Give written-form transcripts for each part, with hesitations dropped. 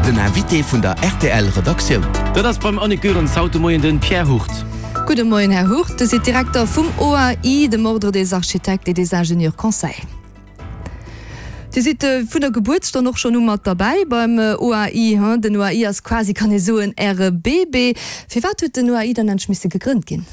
Den Invité vun der rtl Redaktioun. Dat ass beim Annick Goerens haut de Moien den Pierre Hurt. Gudde Moien, Här Hurt. Dir sidd Direkter vum OAI, dem Ordre des Architectes et des Ingénieurs Conseils. Dir sidd vun der Gebuertsstonn och schonn u mat derbäi beim OAI. Den OAI ass quasi, kann ee soen, Äre Bébé. Firwat huet den OAI dann endlech misse gegrënnt ginn?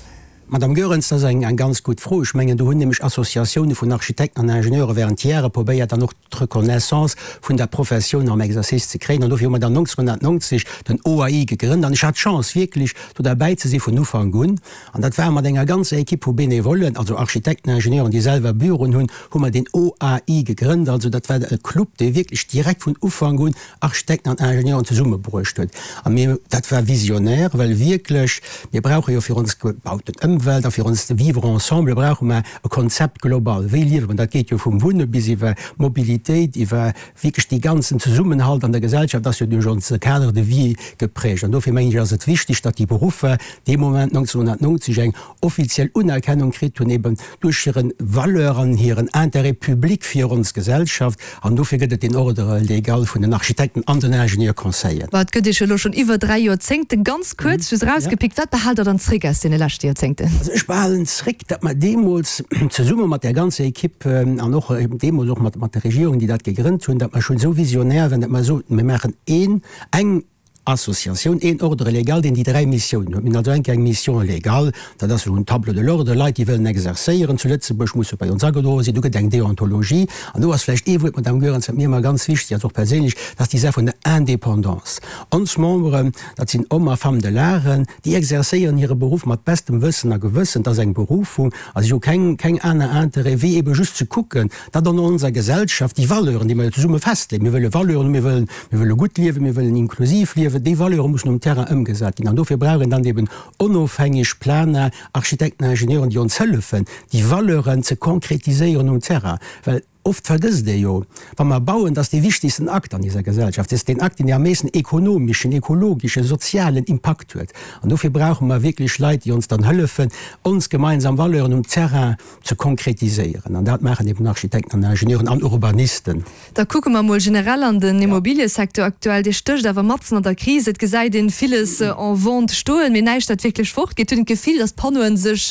Madame Goerens, dat ass eng ganz gutt Fro. Ech mengen, do hunn nämlech Associatioune vun Architekten an Ingenieure während Jahre probéiert, dann och d'Reconnaissance vun der Professioun am Exercice ze kréien. An dofir hu mer dann 1990 den OAI gegrënnt. An ech hat d'Chance, wierklech do derbäi ze si vun Ufank un. An dat war mat enger ganzer Equipe vu Benevollen, also Architekten, Ingenieuren, déi selwer Büroen hunn, hu mer deen OAI gegrënnt. Also dat war e Club, dee wierklech direkt vun Ufank un Architekten an Ingenieuren zesummebruecht huet. A mir, dat war visionär, well wierklech, mir brauche jo fir ons gebauten Ëmwelt a fir onst Vivre ensemble brauche mer e Konzept global. Wéi liewe mer? Dat geet jo vum Wunne bis iwwer Mobilitéit, iwwer wierklech dee ganzen Zesummenhalt an der Gesellschaft ass jo duerch onse Cadre de vie geprägt. An dofir mengen ech, ass et wichteg, datt déi Beruffer dee Moment 1990 eng offiziell Unerkennung kritt hunn, eben duerch hire Valeur an hiren Intérêt public fir ons Gesellschaft. An dofir gëtt et deen Ordre légal vun den Architekten an den Ingenieur-conseillen. Ma et gëtt Iech elo schonn iwwer 3 Joerzéngten. Ganz kuerz just erausgepickt, wat behaalt Der dann zréck aus deene leschte Joerzéngten? Also ech behalen zréck, datt mer deemools zesumme mat där ganzer Equipe an och deemools och mat der Regierung, déi dat gegrënnt hunn, datt mer schonn esou visionär waren, datt mer soten, mir maachen een, eng Associatioun, een Ordre légal, deen déi 3 Missiounen huet. Mir hunn also eng eng Mission légale, dat ass esou en Tableau de l'ordre, Leit, déi wëllen exercéieren zu Lëtzebuerg, musse bei ons agedroe sinn. Do gëtt eng Deontologie. An do ass vläicht ee Wuert, Madame Goerens, wat mir ëmmer ganz wichteg ass, och perséinlech, dat ass déi Saach vun der Indépendance. Ons Memberen, dat sinn Hommes a Femmes de l'art, déi exercéieren hire Beruff mat bestem Wëssen a Gewëssen. Dat ass eng Berufung a si hu keng, keng aner Intérêt, wéi ebe just ze kucken, datt an onser Gesellschaft déi Valeuren, déi mer jo zesumme festleeën, mir wëlle Valeuren hunn, mir wëllen, mir wëlle gutt liewen, mir wëllen inklusiv liewen, déi Valeure mussen um Terrain ëmgesat ginn. An dofir brauch een dann eben onofhängeg Planer, Architekten, Ingenieuren, déi ons hëllefen, déi Valeuren ze konkretiséieren um Terrain. Well oft vergësst ee jo, wa mer bauen, dat ass dee wichtigsten Akt an iser Gesellschaft, dat ass deen Akt, deen dee am meesten ekonomeschen, ekologeschen, sozialen Impakt huet. An dofir brauche mer wierklech Leit, déi ons dann hëllefen, ons gemeinsam Valeuren um Terrain ze konkretiséieren. An dat maachen eben Architekten an Ingenieuren an Urbanisten. Da kucke mer emol generell an den Immobiliësecteur aktuell. Dee stécht awer matzen an der Kris. Et gesäit een villes en vente stoen, mee näischt dat wierklech fortgeet. Huet een d'Gefill, datt d'Panneauen sech,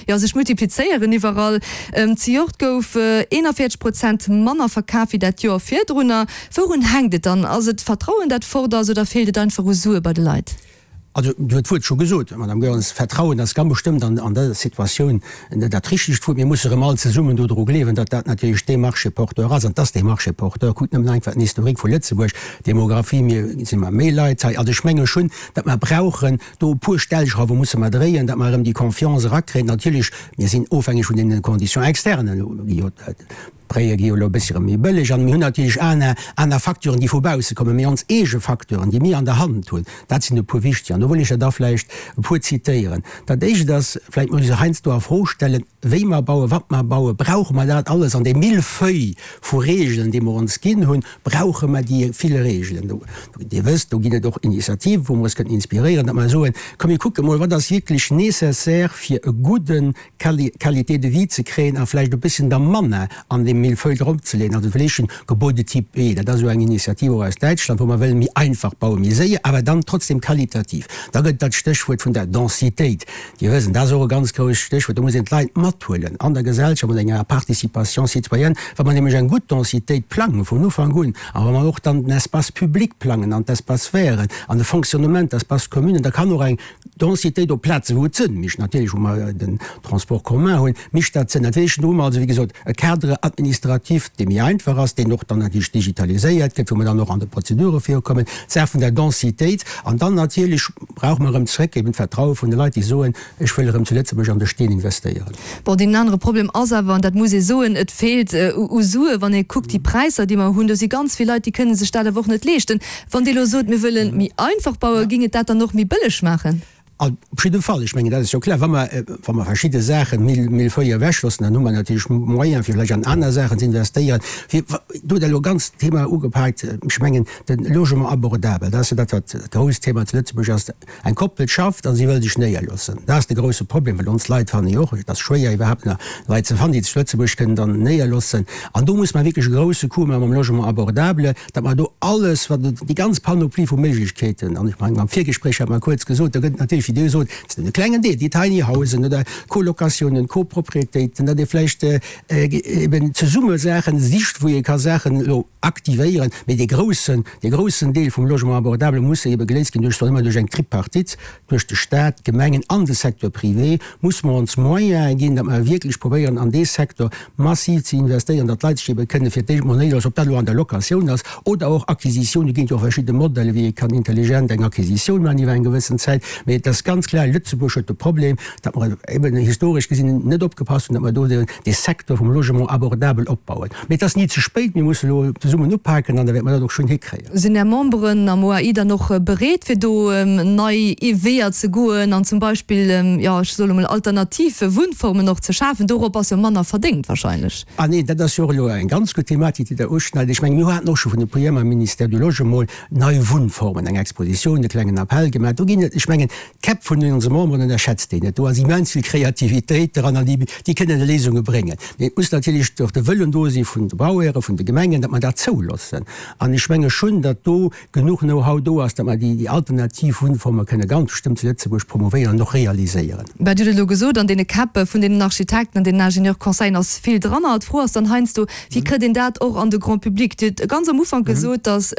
jo, sech multiplizéieren iwwerall. Zejoert gouf 41 Prozent manner verkaf wéi dat Joer virdrunner. Wourun hänkt et dann? Ass et d'Vertrauen, dat fort ass, oder feelt et einfach u Sue bei de Leit? Also, Dir hutt d'Wuert scho gesot, Madame Goerens, Vertrauen ass ganz bestëmmt an dëser Situatioun net dat richtegt Wuert. Mir musse erëm all zesummen dodru gleewen, datt dat natierlech dee Marché porteur ass. An et ass dee Marché porteur. Kuckt nëmmen einfach den Historique vu Lëtzebuerg, Demographie, mir si mer méi Leit hei. Also ech menge schonn, datt mer brauchen do e puer Stellschrauwe musse mer dréien, datt mer erëm déi Confiance erakréien. Natierlech, mir sinn ofhängeg vun deene Conditions externes. D'Bréie gi jo elo e bëssche méi bëlleg an mir hunn natierlech aner, aner Facteuren, déi vu bausse kommen, mee ons eege Facteuren, déi mir an der Hand hunn, dat sinn e puer wichteg. An do wëll ech der da vläicht e puer zitéieren. Dat Éischt ass, vläicht muss ee sech heiansdo a Fro stellen, wéi mer bauen, wat mer bauen, brauche mer dat alles an dee Millefeuille vu Regeln, dee mer ons ginn hunn, brauche mer déi vill Regeln? Do, Dir wësst, do ginn et och Initiativen, wou mer eis kënnen inspiréieren, datt mer soen, komm mir kucke mol, wat ass wierklech nécessaire fir e gudden Qualité de vie ze kréien a vläicht e bësschen da manner an deem Millefeuille drop ze leeën. Also vläicht en Gebäudetyp B, dat ass esou eng Initiativ och aus Däitschland, wou mer wëllen méi einfach bauen, méi séier, awer dann trotzdem qualitativ. Da gëtt et dat Stéchwuert vun der Densitéit. Dir wëssen, dat ass och e ganz grousst Stéchwuert. Do muss een d'Leit mathuelen an der Gesellschaft mat enger Participation citoyenne. Wa mer nämlech eng gutt Densitéit plange vun Ufank un a wa mer och dann den Espace public plangen an d'Espaces verts an de Fonctionnement d'espaces communes, da kann och eng Densitéit op Plazen, wou et Sënn mécht, natierlech, wou mer den Transport commun hunn, mécht dat Sënn. Dat heescht, do hu mer also, wéi gesot, e Cadre administratif, dee méi einfach ass, deen och dann natierlech digitaliséiert gëtt, wou mer dann och an de Prozedure virukommen, d'Saach vun der Densitéit. An dann natierlech brauche mer erëm zrëck eben d'Vertraue vun de Leit, déi soen, ech wëll erëm zu Lëtzebuerg an de Steen investéieren. Bon, deen anere Problem ass awer, an dat muss ee soen, et feelt u Sue. Wann ee kuckt déi Präisser, déi mer hunn, do si ganz vill Leit, déi kënne sech dat awer och net leeschten. Wann Dir elo sot, mir wëlle méi einfach bauen, géing et dat dann och méi bëlleg maachen? Op jidde Fall, ech mengen, dat ass jo kloer, wa mer, wa mer verschidde Saache méi fréi ewechloossen, dann hu mer natierlech Moyen, fir vläicht an aner Saachen ze investéieren. Fir, do hutt Der elo e ganzt Thema ugepaakt, ech mengen, de Logement abordable, dat ass jo dat, wat dat grousst Thema zu Lëtzebuerg ass. Eng Koppel schafft a si wëll sech néierloossen. Dat ass de grousse Problem, well ons Leit fannen jo och, et ass schwéier iwwerhaapt nach Leit ze fannen, déi sech zu Lëtzebuerg kënnen dann néierloossen. An do muss mer wierklech e grousse Coup maache mam Logement abordable, datt mer do alles, wat et, déi ganz Panoplie vu Méiglechkeeten, an ech mengen, am Virgespréich hat mer kuerz gesot, do gëtt et natierlech, wéi Dir gesot, dat ass nëmmen e klengen Deel, déi Tiny Housen oder Colocatiounen, Copropriétéiten, datt ee vläicht eben zesumme Saachen sicht, wou ee ka Saachen elo aktivéieren, mee dee groussen, dee groussen Deel vum Logement abordable muss ebe geléist ginn duerch, soe mer, duerch eng Tripartite, duerch de Stat, d'Gemengen an de Secteur privé, muss mer ons Moyene ginn, datt mer wierklech probéieren an dee Secteur massiv ze investéieren, datt d'Leit sech ebe kënne fir d'éischt mol néierloossen, ob dat elo an der Locatioun ass oder och Acquisitioun, do ginn et jo och verschidde Modelle wéi ee kann intelligent eng Acquisitioun maachen iwwer eng gewëssen Zäit, mee et ass ganz kloer, Lëtzebuerg huet de Problem, datt mer eben historesch gesinn net opgepasst hunn, datt mer do dee Secteur vum Logement abordable opbauen. Mee et ass ni ze spéit, mir musse elo zesummen upaken an da wäerte mer dat och schonn hikréien. Sinn Är Memberen am OAI dann och bereet fir do nei Weeër ze goen an zum Beispill, jo ech soe lo mol alternativ Wunnformen och ze schafen? Dorop ass jo manner verdéngt wahrscheinlech. Ah neen, dat ass jo och elo eng ganz gutt Thematik, déi Der uschneit. Ech mengen, mir haten och scho vun e puer Joer mam Ministère du Logement nei Wunnformen, eng Expositioun, e klengen Appell gemaach. Do ginn et, ech mengen, D'Käpp vun onse Memberen ënnerschätzt een net. Do ass immens vill Kreativitéit dran an déi kënnen Léisunge bréngen. Mee et muss natierlech och de Wëllen do si vun de Bauhäre, vun de Gemengen, datt mer dat zouloossen. An ech menge schonn, datt do genuch Know-how do ass, datt mer déi alternativ Wunnforme kënne ganz bestëmmt zu Lëtzebuerg promovéieren an och realiséieren. Bah, Dir hutt et elo gesot, an deene Käpp vun deenen Architekten an deenen Ingenieur-conseillen ass vill dran. D'Fro ass dann heiansdo, Wéi kritt een dat och an de Grand public? Dir hutt ganz am Ufank gesot, datt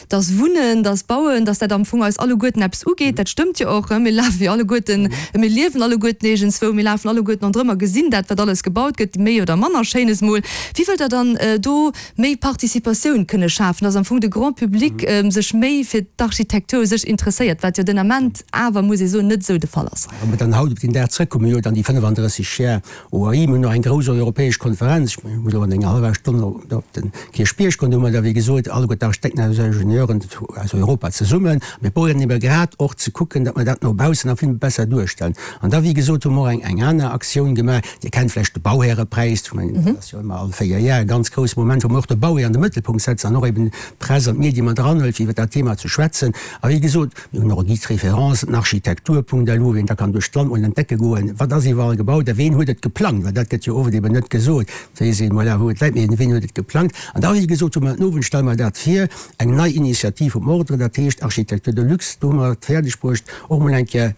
Dass Wunnen, dass Bauen, dass dat am Fong eis alleguerten eppes ugeet, dat stëmmt jo och. Mir lafe jo alleguerten, mir liewen alleguerten iergendzwou, mir lafen alleguerten ronderëm a gesinn dat, wat alles gebaut gëtt, méi oder manner Schéines mol. Wéi wëllt Der dann do méi Participatioun kënne schafen, dass am Fong de Grand public sech méi fir d'Architektur u sech interesséiert, wat jo den Ament awer, muss ee soen, net esou de Fall ass? Wa mer dann haut op deen Dag zrëckkommen, jo dann déi 35 Jar OAI, mir hunn och eng grouss europäesch Konferenz, ech muss elo an enger hallwer Stonn op de Kierchbierg goen, do hu mer da wéi gesot alleguer d'Architekten an Ingenieuren aus Europa zesummen. Mir probéieren ebe grad och ze kucken, datt mer dat no baussen nach vill besser duerstellen. An da wéi gesot hu mer och eng aner Aktioun gemaach, Dir kennt vläicht de Bauhärepräis, ech mengen dat ass jo ëmmer all 4 Jar e ganz grousse Moment, wou mer och de Bauhär an de Mëttelpunkt setzen an och eben d'Press an d'Medie mat eranhuelt fir iwwer dat Thema ze schwätzen. A wéi gesot, Mir hunn och e Guide de référence, den Architektur.lu, ween da kann duerch d'Land mol entdecke goen, wat ass iwwerall gebaut a ween huet et geplangt, well dat gëtt jo oft eben net gesot, et weess een, voilà, wou et läit, mee ween huet et geplangt. An da, wéi gesot, hu mer den Owend, stelle mer dat vir, eng nei Initiativ vum Ordre, dat heescht Architecture de luxe, do hu mer et fäerdeg bruecht, och mol eng Kéier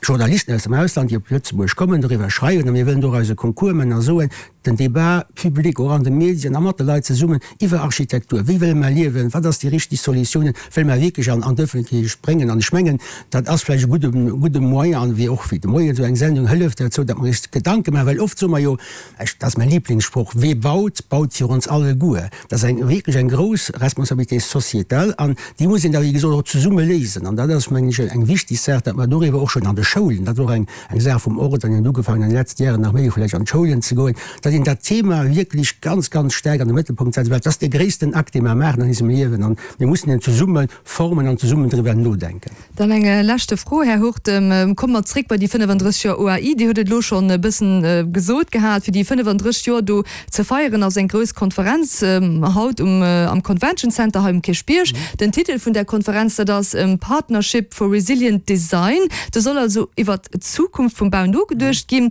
Journalisten aus dem Ausland, déi op Lëtzebuerg kommen, doriwwer schreiwen a mir wëllen doraus e Concours man a soen, den Débat public och an de Medien a mat de Leit zesummen iwwer Architektur, wéi wëlle mer liewen, wat ass déi richteg Solutiounen, wëlle mer wierklech an an d'Ëffentlechkeet bréngen. An ech mengen, dat ass vläicht e gudde gudde Moyen an wéi och wéi de Moien esou eng Sendung hëlleft derzou, datt mer eis Gedanke maachen, well oft soe mer jo, ech, dat ass mäi Lieblingssproch, Wee baut, baut fir ons alleguer. Dat ass eng wierklech eng grouss Responsabilité sociétale an déi muss een da wéi gesot och zesumme léisen. An dat ass, mengen ech, eng wichtig Saach, datt mer doriwwer och schonn an de Schoulen, dat ass och eng eng Saach vum Ordre, déi huet ugefaangen an de letzte Jaren nach méi vläicht an d'Schoulen ze goen, datt een dat Thema wierklech ganz, ganz staark an de Mëttelpunkt setzt, well et ass dee gréissten Akt, dee mer maachen an eisem Liewen an mir mussen en zesumme formen an zesummen driwwer nodenken. Dann eng leschte Fro, Här Hurtem. Komme mer zréck bei déi 35 Joer OAI. Dir hutt et elo schonn e bëssen gesot gehat, fir déi 35 Joer do ze feieren ass eng grouss Konferenz haut um am Convention Center hei um Kierchbierg. Den Titel vun där Konferenz, dat ass Partnership for Resilient Design. Do soll also iwwert d'Zukunft vum Bau nogeduecht ginn.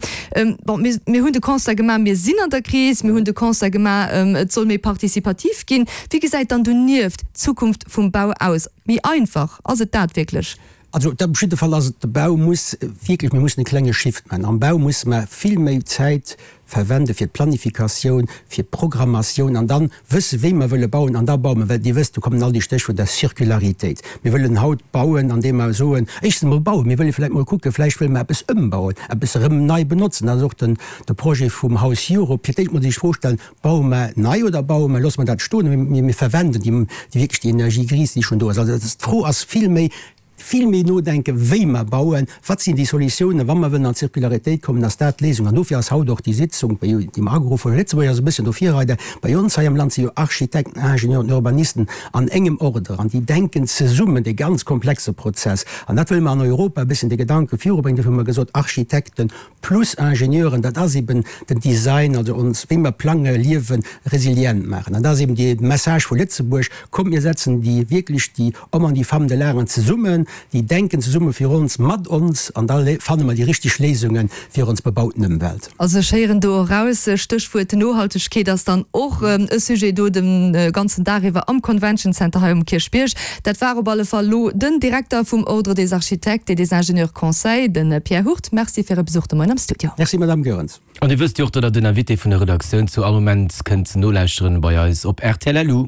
Bon, mir mir hunn de Constat gemaach, mir sinn an der Kris. Mir hunn de Constat gemaach, et soll méi participativ ginn. Wéi gesäit dann donieft d'Zukunft vum Bau aus? Méi einfach, ass et dat wierklech? Also op jidde Fall ass et, de Bau muss wierklech, mir mussen e klenge Shift maachen. Am Bau musse mer vill méi Zäit verwende fir d'Planifikatioun, fir d'Programmatioun an dann wësse wéi mer wëlle bauen an da baue mer. Well Dir wësst, do kommen all déi Stéchwuerter Circularitéit. Mir wëllen haut bauen, andeem mer soen, éischtens emol bauen, mir wëlle vläicht mol kucken, vläicht wëlle mer eppes ëmbauen, eppes erëm nei benotzen. Dat ass och den, de Projet vum House Europe, fir d'éischt mol sech d'Fro stellen, Baue mer nei oder baue mer, loosse mer dat stoen a mir verwenden déi wierklech déi Energie grise, déi schonn do ass. Also d'Fro ass vill méi. Vill méi nodenken, wéi mer bauen, wat sinn déi Solutiounen, wa mer wëllen an d'Circularitéit kommen, ass dat d'Léisung. An dofir ass haut och déi Sitzung, déi mer ageruff hunn, Lëtzebuerg ass e bësschen do Virreider, bei ons hei am Land si jo Architekten, Ingenieuren, Urbanisten an engem Ordre an déi denken zesummen dee ganz komplexe Prozess. An dat wëlle mer an Europa e bësschen de Gedanke virubréngen. Dofir hu mer gesot, Architekten plus Ingenieuren, dat ass eben den Design, also ons, wéi mer plange, liewen, resilient maachen. An dat ass eben dee Message vu Lëtzebuerg, Kommt mir setzen déi wierklech déi Hommes an déi Femmes de l'art zesummen, déi denken zesumme fir ons, mat ons, an da fanne mer déi richteg Léisunge fir ons bebauten Ëmwelt. Also ech héieren do eraus, Stéchwuert Nohaltegkeet ass dann och e Sujet do de ganzen Dag iwwer am Convention Center hei um Kierchbierg. Dat war op alle Fall lo den Direkter vum Ordre des Architectes et des Ingénieurs Conseils, de Pierre Hurt. Merci fir Är Besuch de Moien am Studio. Merci Madame Goerens. An Dir wësst jo och, datt Der den Invité vun der Redaktioun zu all Moment kënnt nolauschteren bei eis op rtl. Lu.